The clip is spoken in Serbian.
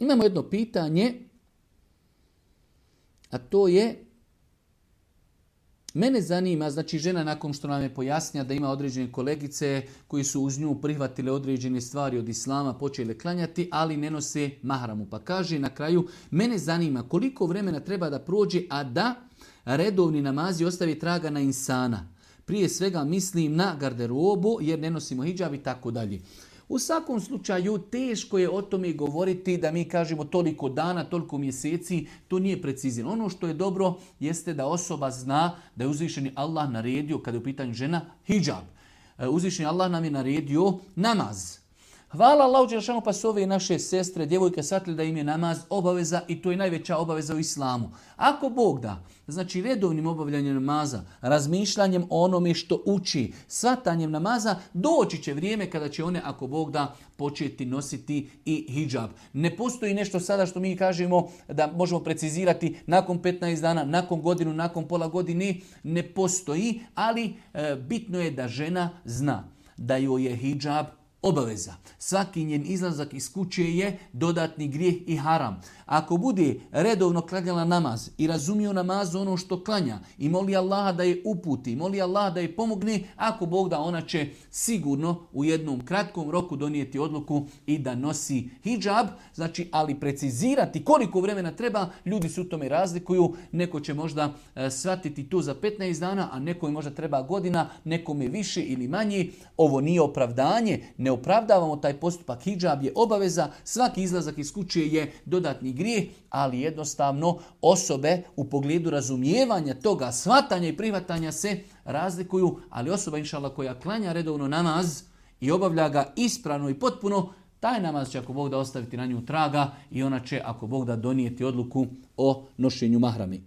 Imamo jedno pitanje, a to je, mene zanima, znači žena nakon što nam je pojasnila da ima određene kolegice koji su uz nju prihvatile određene stvari od islama, počele klanjati, ali ne nose mahramu. Pa kaže na kraju, mene zanima koliko vremena treba da prođe, a da redovni namazi ostavi traga na insana. Prije svega mislim na garderobu jer ne nosimo hidžab i tako dalje. U svakom slučaju teško je o tome govoriti da mi kažemo toliko dana, toliko mjeseci, to nije precizirano. Ono što je dobro jeste da osoba zna da je uzvišeni Allah naredio, kada je u pitanju žena, hidžab. Uzvišeni Allah nam je naredio namaz. Hvala Allahu dželešanu, pa su ove naše sestre, djevojke shvatili da im je namaz obaveza i to je najveća obaveza u islamu. Ako Bog da, znači redovnim obavljanjem namaza, razmišljanjem o onome što uči, shvatanjem namaza, doći će vrijeme kada će one, ako Bog da, početi nositi i hidžab. Ne postoji nešto sada što mi kažemo da možemo precizirati nakon 15 dana, nakon godinu, nakon pola godine, ne postoji, ali bitno je da žena zna da joj je hidžab obaveza. Svaki njen izlazak iz kuće je dodatni grijeh i haram. Ako bude redovno klanjala namaz i razumio namazu ono što klanja i moli Allaha da je uputi, moli Allaha da je pomogne, ako Bog da, ona će sigurno u jednom kratkom roku donijeti odluku i da nosi hidžab. Znači, ali precizirati koliko vremena treba, ljudi su u tome razlikuju. Neko će možda shvatiti to za 15 dana, a nekome možda treba godina, nekome više ili manje. Ovo nije opravdanje, ne opravdavamo taj postupak, hidžab je obaveza, svaki izlazak iz kuće je dodatni grijeh, ali jednostavno osobe u pogledu razumijevanja toga, shvatanja i prihvatanja se razlikuju, ali osoba inšallah koja klanja redovno namaz i obavlja ga ispravno i potpuno, taj namaz će ako Bog da ostaviti na nju traga i ona će ako Bog da donijeti odluku o nošenju mahrami.